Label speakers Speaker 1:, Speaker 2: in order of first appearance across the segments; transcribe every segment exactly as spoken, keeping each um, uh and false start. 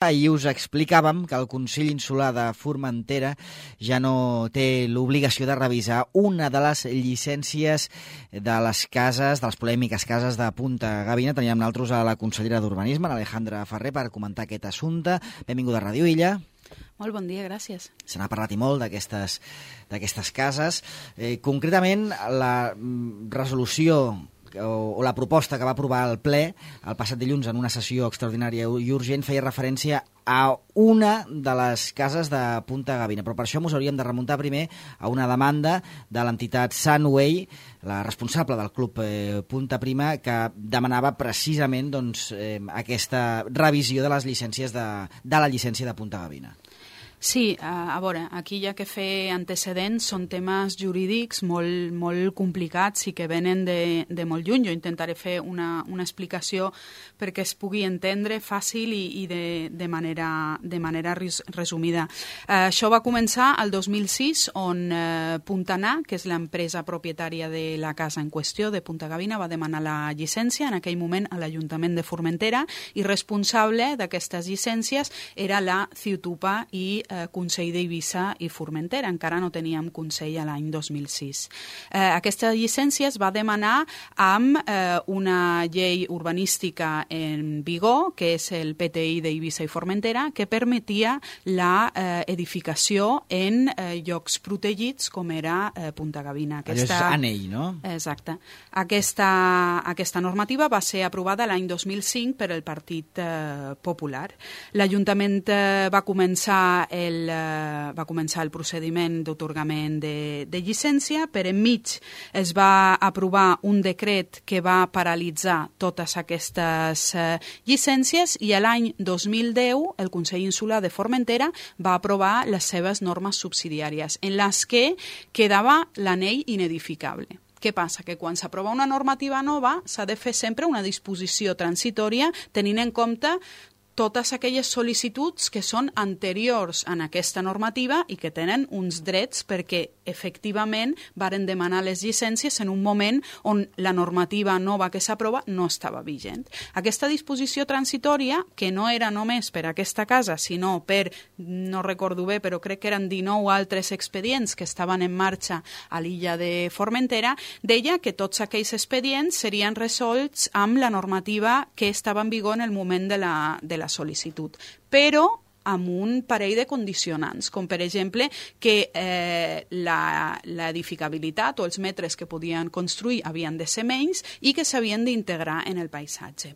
Speaker 1: Ahir us explicàvem que el Consell Insular de Formentera ja no té l'obligació de revisar una de les llicències de les cases, de les polèmiques cases de Punta Gavina. Teníem nosaltres a la consellera d'Urbanisme, l'Alejandra Ferrer, per comentar aquest assumpte. Benvinguda a Ràdio Illa.
Speaker 2: Molt bon dia, gràcies.
Speaker 1: Se n'ha parlat i molt d'aquestes d'aquestes cases. Eh, concretament, la resolució o la proposta que va aprovar el ple el passat dilluns en una sessió extraordinària i urgent feia referència a una de les cases de Punta Gavina, però per això ens hauríem de remuntar primer a una demanda de l'entitat Sunway, la responsable del club eh, Punta Prima, que demanava precisament doncs, eh, aquesta revisió de les llicències de, de la llicència de Punta Gavina.
Speaker 2: Sí, a, a veure, aquí hi ha que fer antecedents, són temes jurídics molt, molt complicats i que venen de, de molt lluny. Jo intentaré fer una, una explicació perquè es pugui entendre fàcil i, i de, de manera, de manera resumida. Eh, això va començar el dos mil sis, on eh, Puntanar, que és l'empresa propietària de la casa en qüestió, de Punta Gavina, va demanar la llicència en aquell moment a l'Ajuntament de Formentera i responsable d'aquestes llicències era la Ciutupa i Eh, Consell d'Eivissa i Formentera. Encara no teníem Consell a l'any dos mil sis. Eh, aquesta llicència es va demanar amb eh, una llei urbanística en vigor, que és el P T I d'Eivissa i Formentera, que permetia la eh, edificació en eh, llocs protegits com era eh, Punta Gavina.
Speaker 1: Aquesta... Allò és anell, no?
Speaker 2: Exacte. Aquesta, aquesta normativa va ser aprovada l'any dos mil cinc per el Partit eh, Popular. L'Ajuntament eh, va començar El, uh, va començar el procediment d'atorgament de, de llicència, per enmig es va aprovar un decret que va paralitzar totes aquestes uh, llicències i a l'any dos mil deu el Consell Insular de Formentera va aprovar les seves normes subsidiàries en les que quedava l'anell inedificable. Què passa? Que quan s'aprova una normativa nova s'ha de fer sempre una disposició transitòria tenint en compte totes aquelles sol·licituds que són anteriors en aquesta normativa i que tenen uns drets perquè efectivament varen demanar les llicències en un moment on la normativa nova que s'aprova no estava vigent. Aquesta disposició transitòria, que no era només per aquesta casa, sinó per, no recordo bé, però crec que eren dinou altres expedients que estaven en marxa a l'illa de Formentera, deia que tots aquells expedients serien resolts amb la normativa que estava en vigor en el moment de la, de la sol·licitud, però amb un parell de condicionants, com per exemple que eh, l'edificabilitat o els metres que podien construir havien de ser menys i que s'havien d'integrar en el paisatge.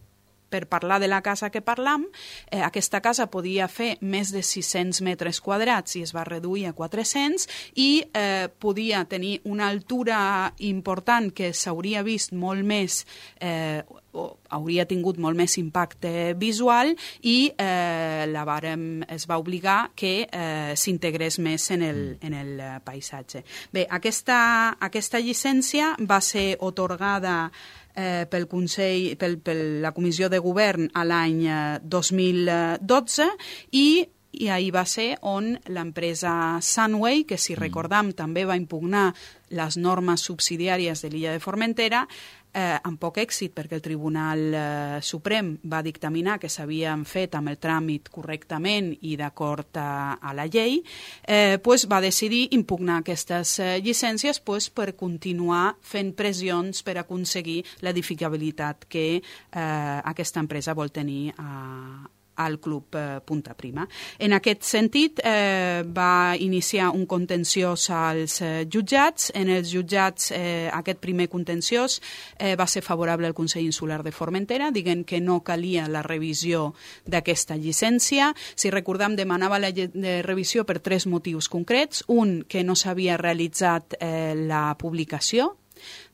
Speaker 2: Per parlar de la casa que parlam, eh, aquesta casa podia fer més de sis-cents metres quadrats i es va reduir a quatre-cents i eh, podia tenir una altura important que s'hauria vist molt més eh, o hauria tingut molt més impacte visual i eh, la vàrem, es va obligar que eh, s'integrés més en el, en el paisatge. Bé, aquesta, aquesta llicència va ser atorgada Eh, pel Consell, pel, per la Comissió de Govern a l'any eh, dos mil dotze i i ahir va ser on l'empresa Sunway, que si recordam també va impugnar les normes subsidiàries de l'illa de Formentera, eh, amb poc èxit perquè el Tribunal eh, Suprem va dictaminar que s'havien fet amb el tràmit correctament i d'acord a, a la llei, eh, pues va decidir impugnar aquestes eh, llicències pues, per continuar fent pressions per aconseguir l'edificabilitat que eh, aquesta empresa vol tenir a al Club eh, Punta Prima. En aquest sentit, eh, va iniciar un contenciós als eh, jutjats. En els jutjats, eh, aquest primer contenciós eh, va ser favorable al Consell Insular de Formentera, dient que no calia la revisió d'aquesta llicència. Si recordam, demanava la de revisió per tres motius concrets. Un, que no s'havia realitzat eh, la publicació.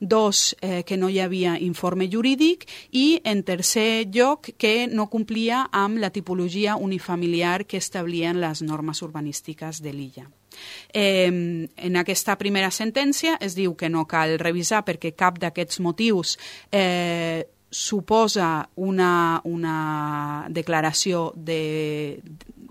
Speaker 2: Dos, eh, que no hi havia informe jurídic i, en tercer lloc, que no complia amb la tipologia unifamiliar que establien les normes urbanístiques de l'illa. Eh, en aquesta primera sentència es diu que no cal revisar perquè cap d'aquests motius eh, suposa una, una declaració de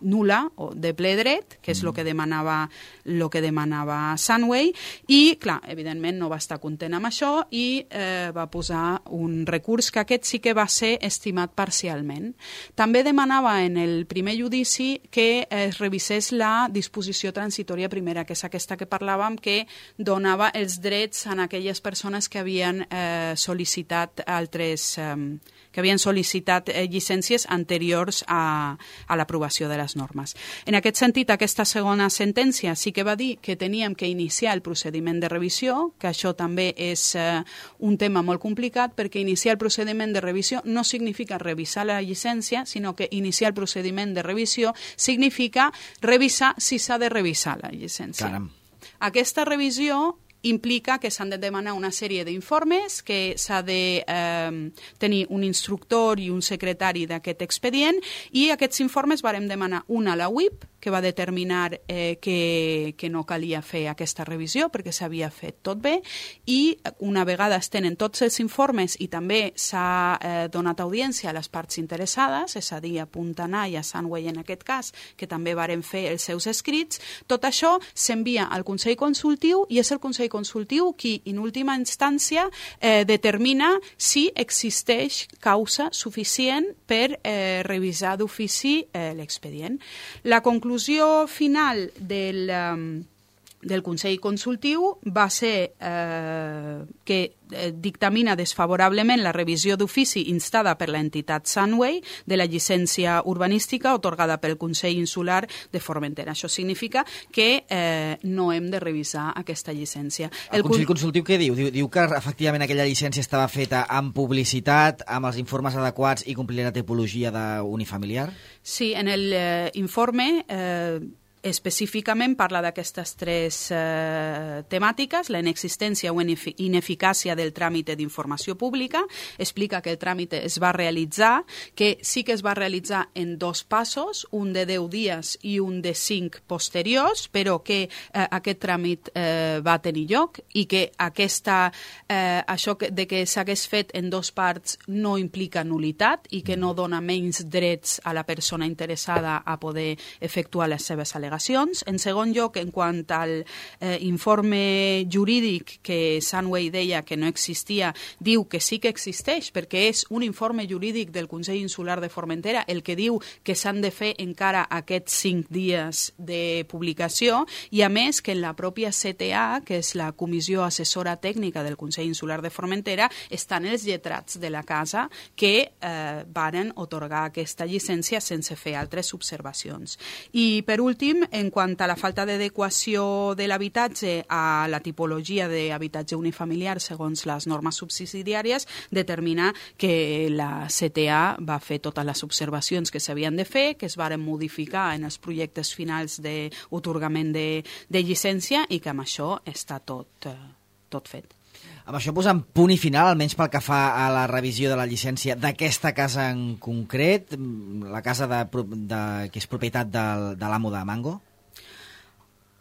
Speaker 2: nula o de ple dret, que és el que demanava el que demanava Sunway, i, clar, evidentment no va estar content amb això i eh, va posar un recurs que aquest sí que va ser estimat parcialment. També demanava en el primer judici que es revisés la disposició transitòria primera, que és aquesta que parlàvem, que donava els drets a aquelles persones que havien eh, sol·licitat altres... Eh, que havien sol·licitat eh, llicències anteriors a, a l'aprovació de les normes. En aquest sentit, aquesta segona sentència sí que va dir que teníem que iniciar el procediment de revisió, que això també és eh, un tema molt complicat, perquè iniciar el procediment de revisió no significa revisar la llicència, sinó que iniciar el procediment de revisió significa revisar si s'ha de revisar la llicència.
Speaker 1: Caram.
Speaker 2: Aquesta revisió implica que s'han de demanar una sèrie d'informes, que s'ha de eh, tenir un instructor i un secretari d'aquest expedient, i aquests informes vàrem demanar un a la U I P, que va determinar eh, que, que no calia fer aquesta revisió perquè s'havia fet tot bé, i una vegada es tenen tots els informes i també s'ha eh, donat audiència a les parts interessades, és a dir, a Puntanar i a Sunway en aquest cas, que també varen fer els seus escrits, tot això s'envia al Consell Consultiu i és el Consell Consultiu qui, en última instància, eh, determina si existeix causa suficient per eh, revisar d'ofici eh, l'expedient. La conclusió La conclusió final del, um, del Consell Consultiu va ser eh, que eh, dictamina desfavorablement la revisió d'ofici instada per l'entitat Sunway de la llicència urbanística otorgada pel Consell Insular de Formentera. Això significa que eh, no hem de revisar aquesta llicència.
Speaker 1: El, el Consell Consultiu què diu? diu? Diu que efectivament aquella llicència estava feta amb publicitat, amb els informes adequats i complia la tipologia d'unifamiliar?
Speaker 2: Sí, en l'informe eh, específicament parla d'aquestes tres eh, temàtiques, la inexistència o ineficàcia del tràmit d'informació pública, explica que el tràmit es va realitzar, que sí que es va realitzar en dos passos, un de deu dies i un de cinc posteriors, però que eh, aquest tràmit eh, va tenir lloc i que aquesta, eh, això que, de que s'hagués fet en dos parts no implica nulitat i que no dona menys drets a la persona interessada a poder efectuar les seves al·legacions. En segon lloc, en quant al eh, informe jurídic que Sunway deia que no existia, diu que sí que existeix, perquè és un informe jurídic del Consell Insular de Formentera el que diu que s'han de fer encara aquests cinc dies de publicació, i a més que en la pròpia C T A, que és la Comissió Assessora Tècnica del Consell Insular de Formentera, estan els lletrats de la casa que eh, varen otorgar aquesta llicència sense fer altres observacions. I per últim, en quant a la falta d'adequació de l'habitatge a la tipologia d'habitatge unifamiliar segons les normes subsidiàries, determina que la C T A va fer totes les observacions que s'havien de fer, que es varen modificar en els projectes finals d'atorgament de, de llicència i que amb això està tot, tot fet.
Speaker 1: Amb això posem punt i final, almenys pel que fa a la revisió de la llicència d'aquesta casa en concret, la casa de, de, que és propietat del, de l'amo de Mango?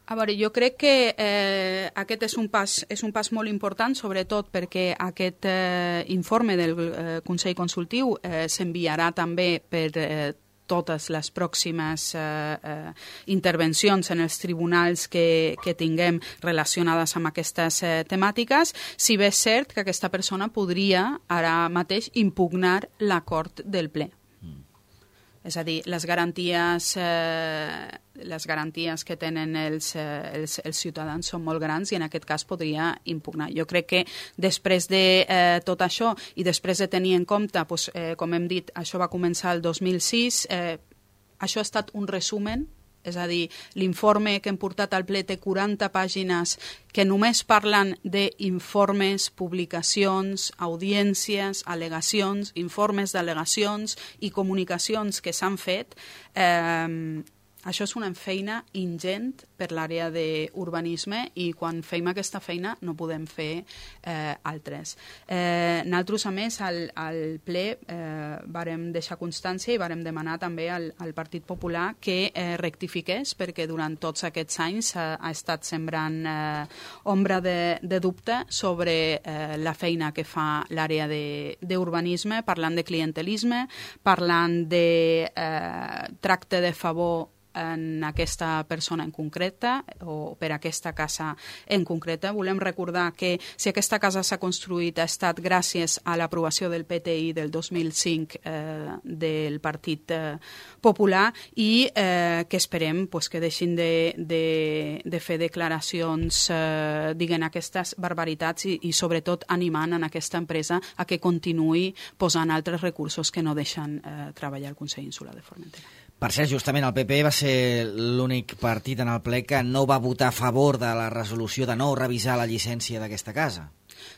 Speaker 2: A veure, jo crec que eh, aquest és un, pas, és un pas molt important, sobretot perquè aquest eh, informe del eh, Consell Consultiu eh, s'enviarà també per eh, totes les pròximes eh, eh, intervencions en els tribunals que, que tinguem relacionades amb aquestes eh, temàtiques, si bé és cert que aquesta persona podria ara mateix impugnar l'acord del ple. Mm. És a dir, les garanties, eh, les garanties que tenen els, eh, els, els ciutadans són molt grans i en aquest cas podria impugnar. Jo crec que després de eh, tot això i després de tenir en compte, doncs, eh, com hem dit, això va començar el dos mil sis, eh, això ha estat un resumen, és a dir, l'informe que hem portat al ple té quaranta pàgines que només parlen d'informes, publicacions, audiències, al·legacions, informes d'al·legacions i comunicacions que s'han fet. Eh, això és una feina ingent per l'àrea d'urbanisme i quan fem aquesta feina no podem fer eh, altres. Eh, nosaltres, a més, al, al ple eh, vàrem deixar constància i vàrem demanar també al, al Partit Popular que eh, rectifiqués, perquè durant tots aquests anys ha, ha estat sembrant eh, ombra de, de dubte sobre eh, la feina que fa l'àrea d'urbanisme, parlant de clientelisme, parlant de eh, tracte de favor en aquesta persona en concreta o per aquesta casa en concreta. Volem recordar que si aquesta casa s'ha construït ha estat gràcies a l'aprovació del P T I del dos mil cinc eh, del Partit eh, Popular i eh, que esperem pues, que deixin de, de, de fer declaracions, eh, diguen aquestes barbaritats i, i sobretot animant en aquesta empresa a que continuï posant altres recursos que no deixen eh, treballar el Consell Insular de Formentera.
Speaker 1: Per cert, justament el P P va ser l'únic partit en el ple que no va votar a favor de la resolució de no revisar la llicència d'aquesta casa.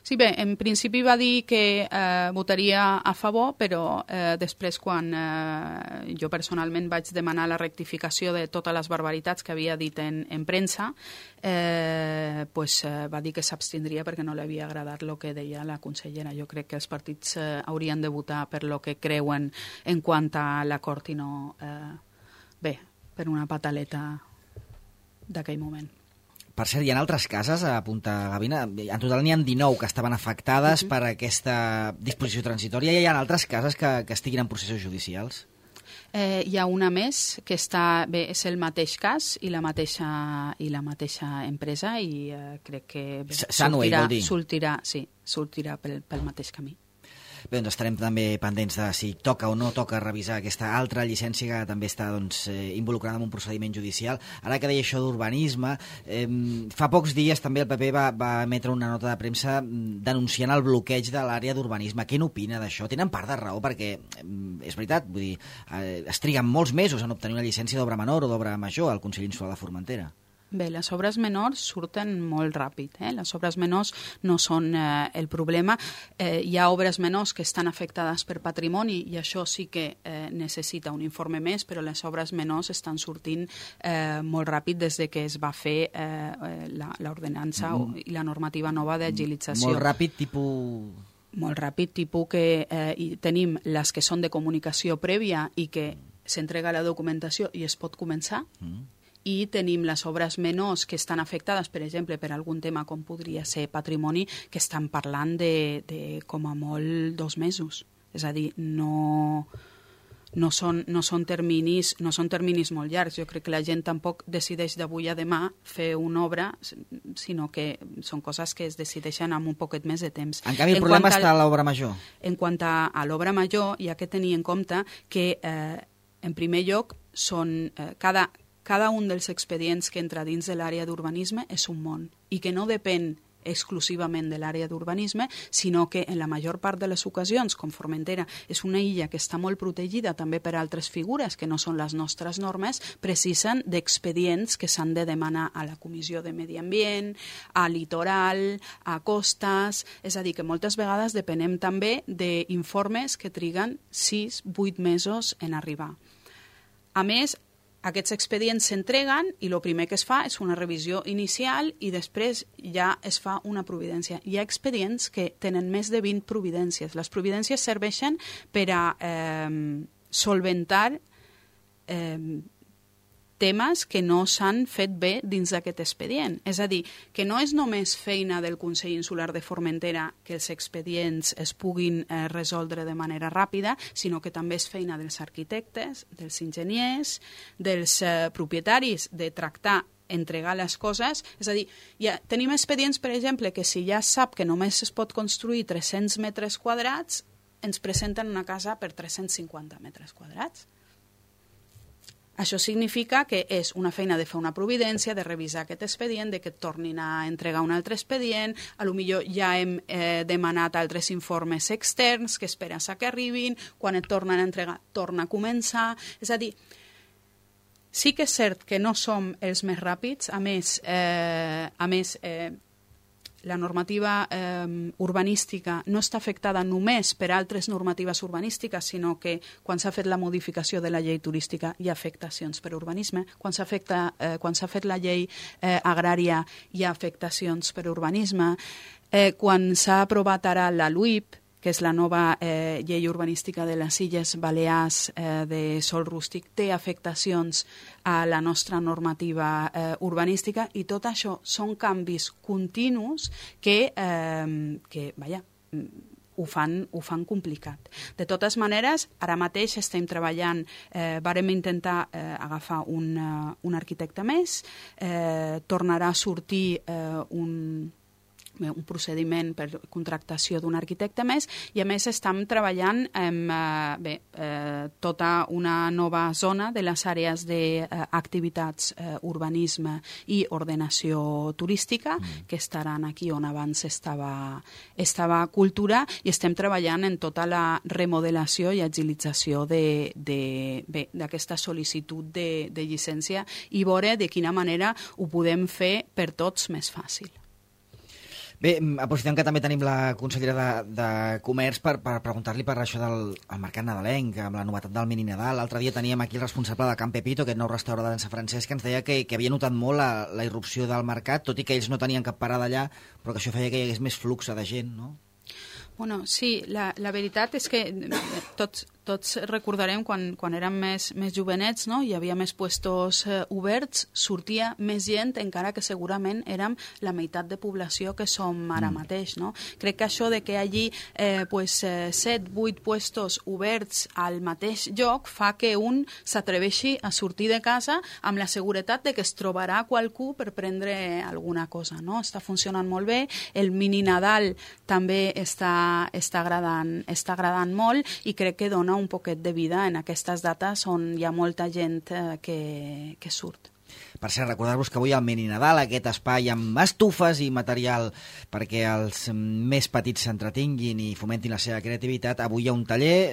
Speaker 2: Sí, bé, en principi va dir que eh, votaria a favor, però eh, després quan eh, jo personalment vaig demanar la rectificació de totes les barbaritats que havia dit en, en premsa, eh, pues, eh, va dir que s'abstindria perquè no li havia agradat el que deia la consellera. Jo crec que els partits eh, haurien de votar per lo que creuen en quant a l'acord i no, eh, bé, per una pataleta d'aquell moment.
Speaker 1: Per cert, hi ha altres cases a Punta Gavina, en total n'hi ha dinou que estaven afectades uh-huh. per aquesta disposició transitòria, i hi ha altres cases que, que estiguin en processos judicials?
Speaker 2: Eh, hi ha una més que està, bé, és el mateix cas i la mateixa, i la mateixa empresa i eh, crec que bé, sortirà, sortirà, sí, sortirà pel, pel mateix camí.
Speaker 1: Bé, doncs estarem també pendents de si toca o no toca revisar aquesta altra llicència que també està doncs, eh, involucrada en un procediment judicial. Ara que deia això d'urbanisme, eh, fa pocs dies també el P P va, va emetre una nota de premsa denunciant el bloqueig de l'àrea d'urbanisme. Què n'opina d'això? Tenen part de raó perquè, eh, és veritat, vull dir, eh, es triguen molts mesos en obtenir una llicència d'obra menor o d'obra major al Consell Insular de Formentera.
Speaker 2: Bé, les obres menors surten molt ràpid. Eh? Les obres menors no són eh, el problema. Eh, hi ha obres menors que estan afectades per patrimoni i això sí que eh, necessita un informe més, però les obres menors estan sortint eh, molt ràpid des de que es va fer eh, l'ordenança mm. i la normativa nova d'agilització.
Speaker 1: Molt ràpid, tipus...
Speaker 2: Molt ràpid, tipus que eh, i tenim les que són de comunicació prèvia i que s'entrega la documentació i es pot començar, mm. i tenim les obres menors que estan afectades, per exemple, per algun tema com podria ser patrimoni, que estan parlant de, de com a molt dos mesos. És a dir, no, no, són, no, són terminis, no són terminis molt llargs. Jo crec que la gent tampoc decideix d'avui a demà fer una obra, sinó que són coses que es decideixen amb un poquet més de temps.
Speaker 1: En canvi, el en problema està a l'obra major.
Speaker 2: En quant a, a l'obra major, hi ha que tenir en compte que, eh, en primer lloc, són eh, cada... Cada un dels expedients que entra dins de l'àrea d'urbanisme és un món i que no depèn exclusivament de l'àrea d'urbanisme, sinó que en la major part de les ocasions, com Formentera és una illa que està molt protegida també per altres figures que no són les nostres normes, precisen d'expedients que s'han de demanar a la Comissió de Medi Ambient, a Litoral, a Costes, és a dir, que moltes vegades depenem també d'informes que triguen sis vuit mesos en arribar. A més, aquests expedients s'entreguen i el primer que es fa és una revisió inicial i després ja es fa una providència. Hi ha expedients que tenen més de vint providències. Les providències serveixen per a eh, solventar eh, temes que no s'han fet bé dins d'aquest expedient. És a dir, que no és només feina del Consell Insular de Formentera que els expedients es puguin eh, resoldre de manera ràpida, sinó que també és feina dels arquitectes, dels enginyers, dels eh, propietaris de tractar entregar les coses, és a dir, ja tenim expedients, per exemple, que si ja sap que només es pot construir tres-cents metres quadrats, ens presenten una casa per tres-cents cinquanta metres quadrats. Això significa que és una feina de fer una providència, de revisar aquest expedient, de que et tornin a entregar un altre expedient, a lo millor ja hem eh, demanat altres informes externs que esperes a que arribin, quan et tornen a entregar, torna a començar. És a dir, sí que és cert que no som els més ràpids, a més, eh, a més eh, la normativa eh, urbanística no està afectada només per altres normatives urbanístiques, sinó que quan s'ha fet la modificació de la llei turística hi ha afectacions per urbanisme, quan s'ha eh, quan s'ha fet la llei eh, agrària hi ha afectacions per urbanisme, eh, quan s'ha aprovat ara la L U I P, que és la nova eh, llei urbanística de les Illes Balears eh, de sòl rústic, té afectacions a la nostra normativa eh, urbanística, i tot això són canvis continus que, eh, que vaja, ho fan, ho fan complicat. De totes maneres, ara mateix estem treballant, eh, vàrem intentar eh, agafar un, uh, un arquitecte més, eh, tornarà a sortir eh, un un procediment per contractació d'un arquitecte més, i a més estem treballant en eh, bé, eh, tota una nova zona de les àrees d'activitats, eh, urbanisme i ordenació turística, mm. que estaran aquí on abans estava, estava cultura, i estem treballant en tota la remodelació i agilització d'aquesta sol·licitud de, de llicència, i veure de quina manera ho podem fer per tots més fàcil.
Speaker 1: Bé, aprofitem que també tenim la consellera de, de Comerç per, per preguntar-li per això del el mercat nadalenc, amb la novetat del mini Nadal. L'altre dia teníem aquí el responsable de Can Pepito, aquest nou restaurant de Sant Francesc, que ens deia que, que havia notat molt la, la irrupció del mercat, tot i que ells no tenien cap parada allà, però que això feia que hi hagués més flux de gent, no?
Speaker 2: Bueno, sí, la, la veritat és que tots, tots recordarem quan, quan érem més, més jovenets, no? Hi havia més puestos eh, oberts, sortia més gent, encara que segurament érem la meitat de població que som ara mm. mateix, no? Crec que això de que allí eh, pues, eh, set, vuit puestos oberts al mateix lloc fa que un s'atreveixi a sortir de casa amb la seguretat de que es trobarà qualcú per prendre alguna cosa, no? Està funcionant molt bé, el mini Nadal també està està agradant, està agradant molt, i crec que dona un poquet de vida en aquestes dates on hi ha molta gent eh, que, que surt.
Speaker 1: Per cert, recordar-vos que avui al Mini Nadal, aquest espai amb estufes i material perquè els més petits s'entretinguin i fomentin la seva creativitat, avui hi ha un taller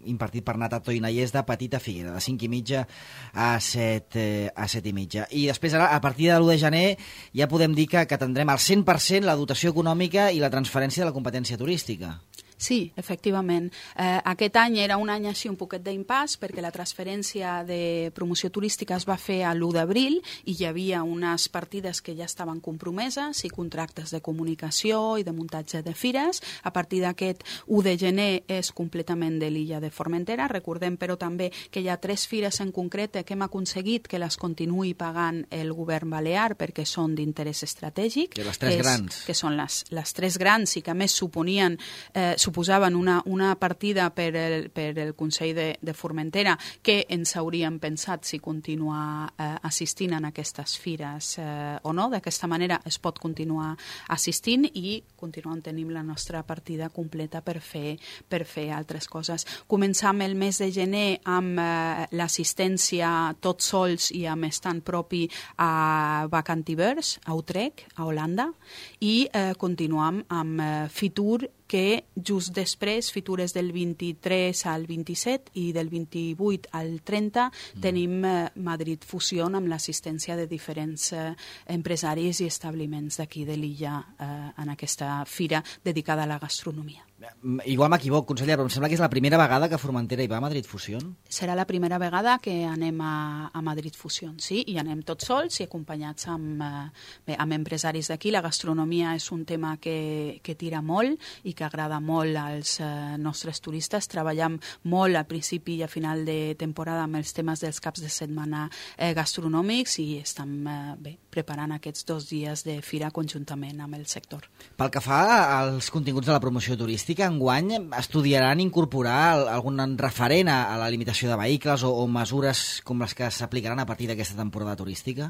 Speaker 1: impartit per Natato i Nallers de Petita Figuera, de cinc i mitja a set, eh, a set i mitja. I després, ara, a partir de l'u de gener, ja podem dir que, que tindrem al cent per cent la dotació econòmica i la transferència de la competència turística.
Speaker 2: Sí, efectivament. Eh, aquest any era un any així un poquet d'impàs, perquè la transferència de promoció turística es va fer a l'u d'abril i hi havia unes partides que ja estaven compromeses i contractes de comunicació i de muntatge de fires. A partir d'aquest u de gener és completament de l'illa de Formentera. Recordem, però, també que hi ha tres fires en concret que hem aconseguit que les continuï pagant el govern balear perquè són d'interès estratègic.
Speaker 1: Que les tres
Speaker 2: és,
Speaker 1: grans.
Speaker 2: Que són les, les tres grans i que a més suponien eh, suposaven una, una partida per el, per el Consell de, de Formentera que ens hauríem pensat si continuar eh, assistint en aquestes fires eh, o no. D'aquesta manera es pot continuar assistint i continuem tenint la nostra partida completa per fer, per fer altres coses. Començam el mes de gener amb eh, l'assistència tots sols i amb estant propi a Vacantivers, a Utrecht, a Holanda, i eh, continuam amb eh, Fitur, que just després, Fitures del vint-i-tres al vint-i-set i del vint-i-vuit al trenta, mm. tenim eh, Madrid Fusion amb l'assistència de diferents eh, empresaris i establiments d'aquí de l'illa eh, en aquesta fira dedicada a la gastronomia.
Speaker 1: Igual m'equivoc, conseller, però em sembla que és la primera vegada que Formentera hi va a Madrid Fusion.
Speaker 2: Serà la primera vegada que anem a, a Madrid Fusion, sí, i anem tots sols i acompanyats amb, eh, bé, amb empresaris d'aquí. La gastronomia és un tema que, que tira molt i que agrada molt als eh, nostres turistes. Treballem molt a principi i a final de temporada amb els temes dels caps de setmana eh, gastronòmics i estem eh, bé, preparant aquests dos dies de fira conjuntament amb el sector.
Speaker 1: Pel que fa als continguts de la promoció turística, que enguany estudiaran incorporar algun referent a la limitació de vehicles o, o mesures com les que s'aplicaran a partir d'aquesta temporada turística?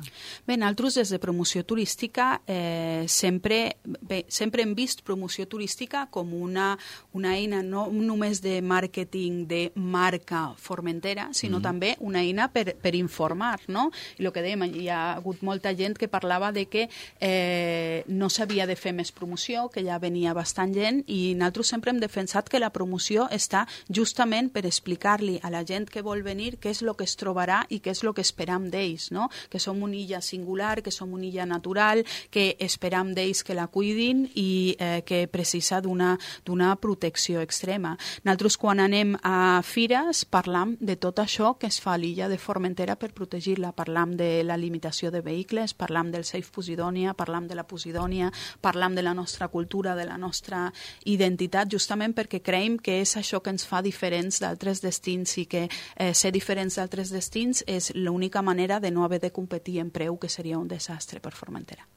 Speaker 2: Bé, nosaltres des de promoció turística eh, sempre, bé, sempre hem vist promoció turística com una, una eina no només de màrqueting de marca Formentera, sinó mm. també una eina per, per informar, no? I el que dèiem, hi ha hagut molta gent gent que parlava de que eh, no s'havia de fer més promoció, que ja venia bastant gent, i nosaltres sempre hem defensat que la promoció està justament per explicar-li a la gent que vol venir què és el que es trobarà i què és el que esperam d'ells, no? Que som una illa singular, que som una illa natural, que esperam d'ells que la cuidin i eh, que precisa d'una d'una protecció extrema. Nosaltres, quan anem a fires, parlam de tot això que es fa a l'illa de Formentera per protegir-la. Parlam de la limitació de vehicles, parlam del Safe Posidònia, parlam de la Posidònia, parlam de la nostra cultura, de la nostra identitat, justament perquè creiem que és això que ens fa diferents d'altres destins i que eh, ser diferents d'altres destins és l'única manera de no haver de competir en preu, que seria un desastre per Formentera.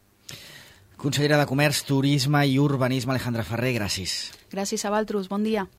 Speaker 1: Consellera de Comerç, Turisme i Urbanisme, Alejandra Ferrer, gràcies.
Speaker 2: Gràcies a vosaltres, bon dia.